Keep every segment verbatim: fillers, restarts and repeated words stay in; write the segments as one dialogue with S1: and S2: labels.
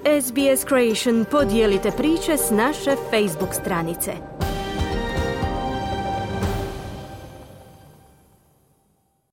S1: S B S Creation podijelite priče s naše Facebook stranice.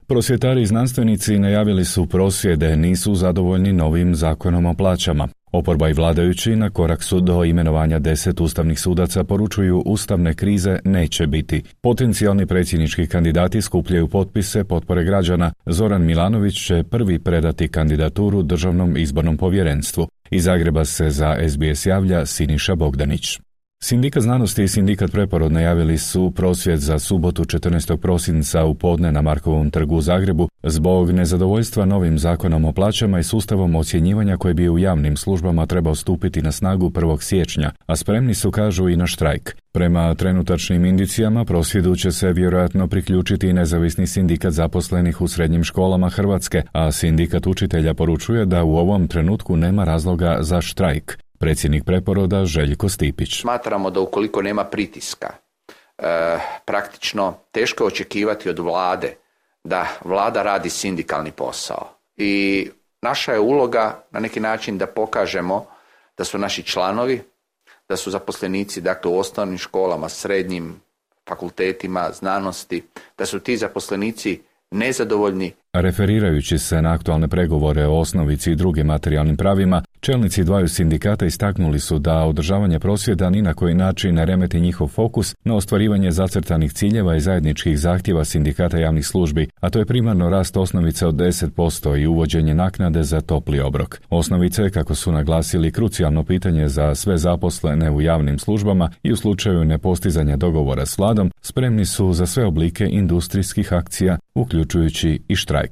S2: Prosvjetari i znanstvenici najavili su prosvjede, nisu zadovoljni novim zakonom o plaćama. Oporba i vladajući na korak su do imenovanja deset ustavnih sudaca, poručuju ustavne krize neće biti. Potencijalni predsjednički kandidati skupljaju potpise potpore građana. Zoran Milanović će prvi predati kandidaturu Državnom izbornom povjerenstvu. Iz Zagreba se za S B S javlja Siniša Bogdanić. Sindikat znanosti i sindikat Preporod najavili su prosvjed za subotu četrnaestog prosinca u podne na Markovom trgu u Zagrebu zbog nezadovoljstva novim zakonom o plaćama i sustavom ocjenjivanja koji bi u javnim službama trebao stupiti na snagu prvog siječnja, a spremni su, kažu, i na štrajk. Prema trenutačnim indicijama prosvjedu će se vjerojatno priključiti i nezavisni sindikat zaposlenih u srednjim školama Hrvatske, a sindikat učitelja poručuje da u ovom trenutku nema razloga za štrajk. Predsjednik Preporoda Željko Stipić.
S3: Smatramo da ukoliko nema pritiska, e, praktično teško je očekivati od vlade da vlada radi sindikalni posao. I naša je uloga na neki način da pokažemo da su naši članovi, da su zaposlenici, dakle, u osnovnim školama, srednjim fakultetima znanosti, da su ti zaposlenici nezadovoljni.
S2: Referirajući se na aktualne pregovore o osnovici i drugim materijalnim pravima, čelnici dvaju sindikata istaknuli su da održavanje prosvjeda ni na koji način ne remeti njihov fokus na ostvarivanje zacrtanih ciljeva i zajedničkih zahtjeva sindikata javnih službi, a to je primarno rast osnovice od deset posto i uvođenje naknade za topli obrok. Osnovice je, kako su naglasili, krucijalno pitanje za sve zaposlene u javnim službama i u slučaju nepostizanja dogovora s vladom spremni su za sve oblike industrijskih akcija, uključujući i štrajk.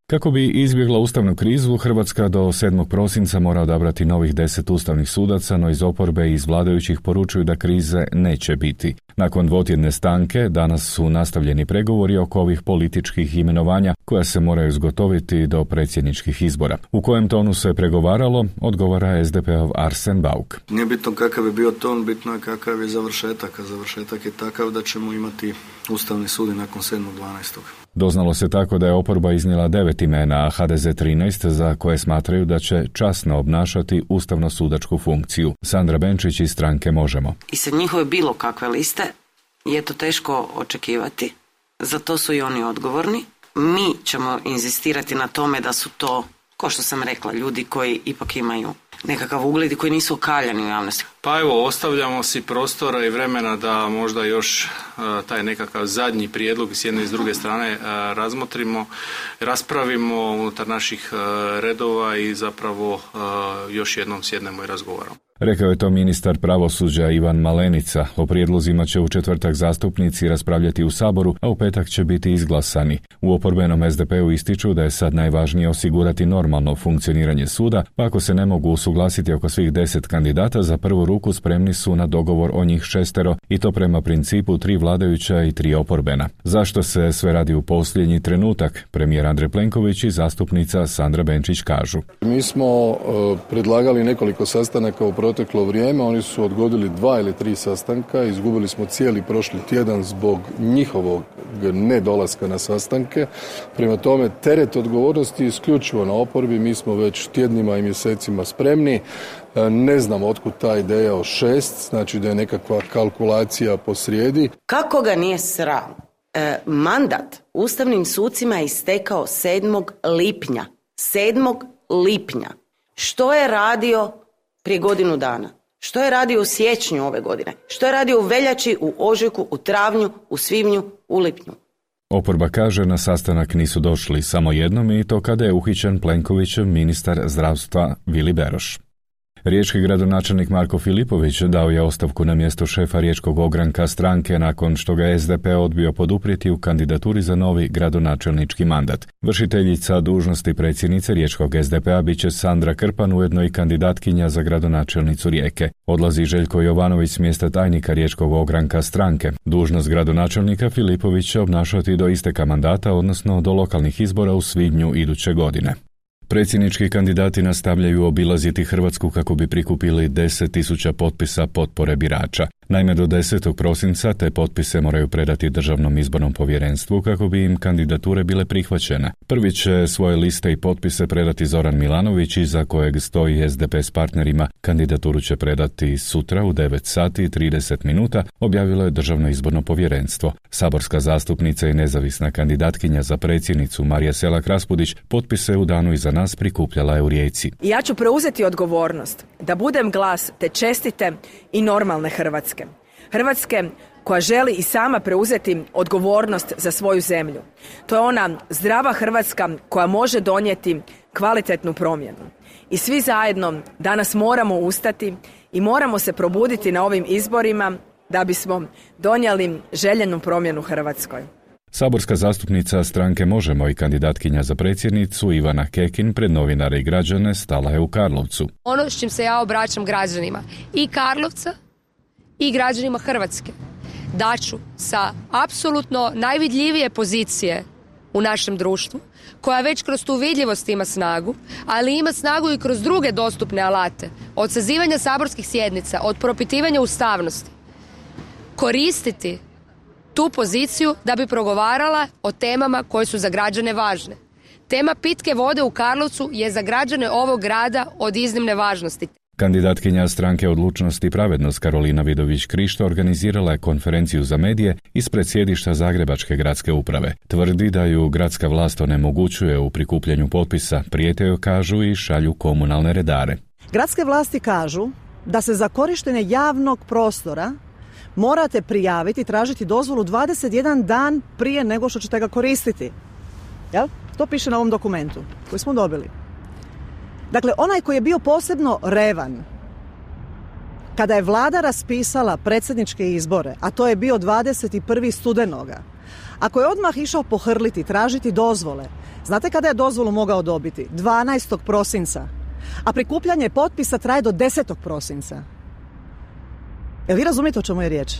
S2: Kako bi izbjegla ustavnu krizu, Hrvatska do sedmog prosinca mora odabrati novih deset ustavnih sudaca, no iz oporbe i iz vladajućih poručuju da krize neće biti. Nakon dvotjedne stanke, danas su nastavljeni pregovori oko ovih političkih imenovanja koja se moraju zgotoviti do predsjedničkih izbora. U kojem tonu se pregovaralo, odgovara S D P-ov Arsen Bauk.
S4: Nije bitno kakav je bio ton, bitno je kakav je završetak, a završetak je takav da ćemo imati Ustavni sud nakon sedmog dvanaestog
S2: Doznalo se tako da je oporba iznijela devet imena, a H D Z trinaest, za koje smatraju da će časno obnašati ustavno-sudačku funkciju. Sandra Benčić iz stranke Možemo.
S5: I sa njihove bilo kakve liste je to teško očekivati, za to su i oni odgovorni. Mi ćemo inzistirati na tome da su to, kao što sam rekla, ljudi koji ipak imaju nekakav ugled i koji nisu okaljani u javnosti.
S6: Pa evo, ostavljamo si prostora i vremena da možda još uh, taj nekakav zadnji prijedlog s jedne i s druge strane uh, razmotrimo, raspravimo unutar naših uh, redova i zapravo uh, još jednom sjednemo i razgovaramo.
S2: Rekao je to ministar pravosuđa Ivan Malenica. O prijedlozima će u četvrtak zastupnici raspravljati u Saboru, a u petak će biti izglasani. U oporbenom S D P-u ističu da je sad najvažnije osigurati normalno funkcioniranje suda, pa ako se ne mogu usuglasiti oko svih deset kandidata, za prvu ruku spremni su na dogovor o njih šestero, i to prema principu tri vladajuća i tri oporbena. Zašto se sve radi u posljednji trenutak? Premijer Andrej Plenković i zastupnica Sandra Benčić kažu.
S7: Mi smo uh, predlagali nekoliko sastanaka u proteklo vrijeme, oni su odgodili dva ili tri sastanka, izgubili smo cijeli prošli tjedan zbog njihovog nedolaska na sastanke. Prema tome, teret odgovornosti isključivo na oporbi, mi smo već tjednima i mjesecima spremni. Ne znam otkud ta ideja o šest, znači da je nekakva kalkulacija posrijedi.
S5: Kako ga nije sram? E, mandat ustavnim sucima je istekao sedmog lipnja. sedmog lipnja. Što je radio prije godinu dana? Što je radio u siječnju ove godine? Što je radio u veljači, u ožujku, u travnju, u svibnju, u lipnju?
S2: Oporba kaže na sastanak nisu došli samo jednom, i to kada je uhićen Plenkovićev ministar zdravstva Vili Beroš. Riječki gradonačelnik Marko Filipović dao je ostavku na mjesto šefa riječkog ogranka stranke nakon što ga S D P odbio poduprijeti u kandidaturi za novi gradonačelnički mandat. Vršiteljica dužnosti predsjednice riječkog S D P-a bit će Sandra Krpan, ujedno i kandidatkinja za gradonačelnicu Rijeke. Odlazi Željko Jovanović s mjesta tajnika riječkog ogranka stranke. Dužnost gradonačelnika Filipović će obnašati do isteka mandata, odnosno do lokalnih izbora u svibnju iduće godine. Predsjednički kandidati nastavljaju obilaziti Hrvatsku kako bi prikupili deset tisuća potpisa potpore birača. Naime, do desetog prosinca te potpise moraju predati Državnom izbornom povjerenstvu kako bi im kandidature bile prihvaćene. Prvi će svoje liste i potpise predati Zoran Milanović, iza kojeg stoji es de pe s partnerima. Kandidaturu će predati sutra u devet sati i trideset minuta, objavilo je Državno izborno povjerenstvo. Saborska zastupnica i nezavisna kandidatkinja za predsjednicu Marija Selak-Raspudić potpise u danu iza nas prikupljala je u Rijeci.
S8: Ja ću preuzeti odgovornost da budem glas te čestite i normalne Hrvatske. Hrvatske koja želi i sama preuzeti odgovornost za svoju zemlju. To je ona zdrava Hrvatska koja može donijeti kvalitetnu promjenu. I svi zajedno danas moramo ustati i moramo se probuditi na ovim izborima da bismo donijeli željenu promjenu Hrvatskoj.
S2: Saborska zastupnica stranke Možemo i kandidatkinja za predsjednicu Ivana Kekin pred novinare i građane stala je u Karlovcu.
S9: Ono s čim se ja obraćam građanima i Karlovca i građanima Hrvatske, daću sa apsolutno najvidljivije pozicije u našem društvu, koja već kroz tu vidljivost ima snagu, ali ima snagu i kroz druge dostupne alate, od sazivanja saborskih sjednica, od propitivanja ustavnosti, koristiti tu poziciju da bi progovarala o temama koje su za građane važne. Tema pitke vode u Karlovcu je za građane ovog grada od iznimne važnosti.
S2: Kandidatkinja stranke Odlučnost i pravednost Karolina Vidović-Krišto organizirala je konferenciju za medije ispred sjedišta Zagrebačke gradske uprave. Tvrdi da ju gradska vlast onemogućuje u prikupljanju potpisa, prijete joj, kažu, i šalju komunalne redare.
S10: Gradske vlasti kažu da se za korištenje javnog prostora morate prijaviti i tražiti dozvolu dvadeset jedan dan prije nego što ćete ga koristiti. Jel? To piše na ovom dokumentu koji smo dobili. Dakle, onaj koji je bio posebno revan kada je vlada raspisala predsjedničke izbore, a to je bio dvadeset prvog studenoga, ako je odmah išao pohrliti, tražiti dozvole, znate kada je dozvolu mogao dobiti? dvanaestog prosinca, a prikupljanje potpisa traje do desetog prosinca. Jel vi razumijete o čemu je riječ?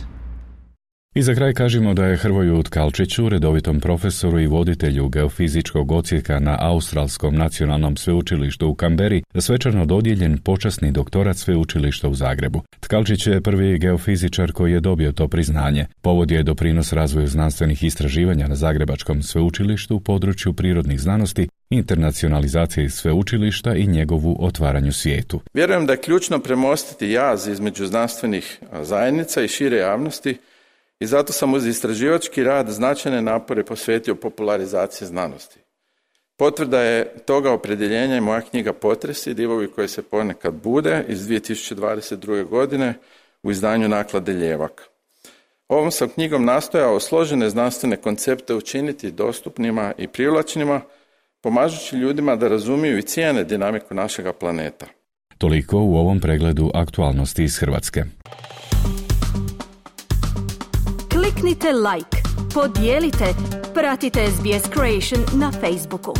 S2: I za kraj kažemo da je Hrvoju Tkalčiću, redovitom profesoru i voditelju geofizičkog odsjeka na Australskom nacionalnom sveučilištu u Kamberi, svečano dodijeljen počasni doktorat sveučilišta u Zagrebu. Tkalčić je prvi geofizičar koji je dobio to priznanje. Povod je doprinos razvoju znanstvenih istraživanja na Zagrebačkom sveučilištu u području prirodnih znanosti, internacionalizacije sveučilišta i njegovu otvaranju svijetu.
S11: Vjerujem da je ključno premostiti jaz između znanstvenih zajednica i šire javnosti, i zato sam uz istraživački rad značajne napore posvetio popularizaciji znanosti. Potvrda je toga opredjeljenja i moja knjiga Potresi, divovi koje se ponekad bude, iz dvije tisuće dvadeset druge. godine u izdanju naklade Ljevak. Ovom sam knjigom nastojao složene znanstvene koncepte učiniti dostupnima i privlačnima, pomažući ljudima da razumiju i cijene dinamiku našega planeta.
S2: Toliko u ovom pregledu aktualnosti iz Hrvatske.
S1: Kliknite like, podijelite, pratite es be es Creation na Facebooku.